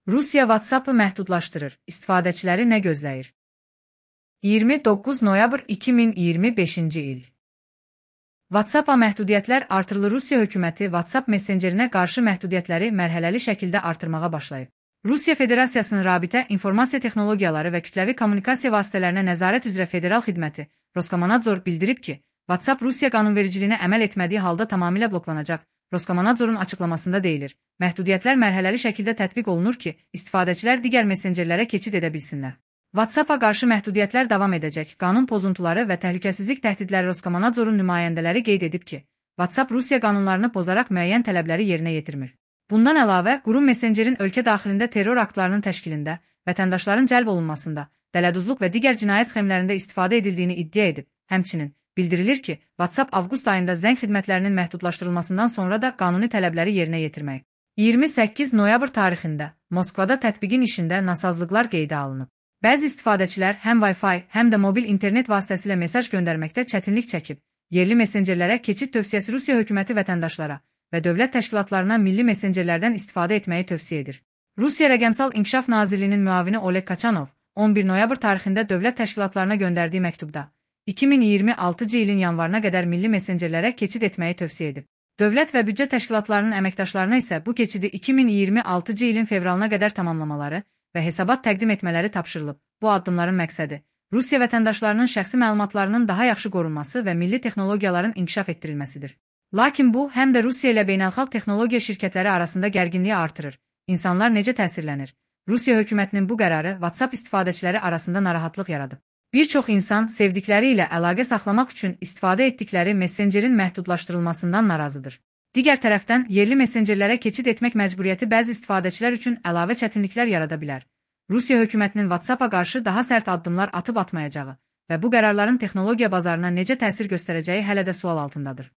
Rusiya WhatsApp-ı məhdudlaşdırır. İstifadəçiləri nə gözləyir? 29 noyabr 2025-ci il. WhatsApp-a məhdudiyyətlər artırılır. Rusiya hökuməti WhatsApp messenjerinə qarşı məhdudiyyətləri mərhələli şəkildə artırmağa başlayıb. Rusiya Federasiyasının Rabitə, İnformasiya Texnologiyaları və Kütləvi Kommunikasiya Vasitələrinə Nəzarət üzrə Federal Xidməti Roskomnadzor bildirib ki, WhatsApp Rusiya qanunvericiliyinə əməl etmədiyi halda tamamilə bloklanacaq. Roskomnadzorun açıqlamasında deyilir, məhdudiyyətlər mərhələli şəkildə tətbiq olunur ki, istifadəçilər digər messenjerlərə keçid edə bilsinlər. WhatsApp-a qarşı məhdudiyyətlər davam edəcək. Qanun pozuntuları və təhlükəsizlik təhdidləri Roskomnadzorun nümayəndələri qeyd edib ki, WhatsApp Rusiya qanunlarını pozaraq müəyyən tələbləri yerinə yetirmir. Bundan əlavə, qurum messenjerin ölkə daxilində terror aktlarının təşkilində, vətəndaşların cəlb olunmasında, dələduzluq və digər cinayət sxemlərində istifadə edildiyini iddia edib. Həmçinin, bildirilir ki, WhatsApp avqust ayında zəng xidmətlərinin məhdudlaşdırılmasından sonra da qanuni tələbləri yerinə yetirmək. 28 noyabr tarixində Moskvada tətbiqin işində nasazlıqlar qeydə alınıb. Bəzi istifadəçilər həm Wi-Fi, həm də mobil internet vasitəsilə mesaj göndərməkdə çətinlik çəkib. Yerli messenjerlərə keçid tövsiyəsi Rusiya hökuməti vətəndaşlara və dövlət təşkilatlarına milli messenjerlərdən istifadə etməyi tövsiyə edir. Rusiya Rəqəmsal İnkişaf Nazirliyinin müavini Oleg Kaçanov 11 noyabr tarixində dövlət təşkilatlarına göndərdiyi məktubda 2026-cı ilin yanvarına qədər milli messenjerlərə keçid etməyi tövsiyə edib. Dövlət və büdcə təşkilatlarının əməkdaşlarına isə bu keçidi 2026-cı ilin fevralına qədər tamamlamaları və hesabat təqdim etmələri tapşırılıb. Bu addımların məqsədi Rusiya vətəndaşlarının şəxsi məlumatlarının daha yaxşı qorunması və milli texnologiyaların inkişaf etdirilməsidir. Lakin bu, həm də Rusiya ilə beynəlxalq texnologiya şirkətləri arasında gərginliyi artırır. İnsanlar necə təsirlənir? Rusiya hökumətinin bu qərarı WhatsApp istifadəçiləri arasında narahatlıq yaradıb. Bir çox insan sevdikləri ilə əlaqə saxlamaq üçün istifadə etdikləri messenjerin məhdudlaşdırılmasından narazıdır. Digər tərəfdən, yerli messenjerlərə keçid etmək məcburiyyəti bəzi istifadəçilər üçün əlavə çətinliklər yarada bilər. Rusiya hökumətinin WhatsApp-a qarşı daha sərt addımlar atıb atmayacağı və bu qərarların texnologiya bazarına necə təsir göstərəcəyi hələ də sual altındadır.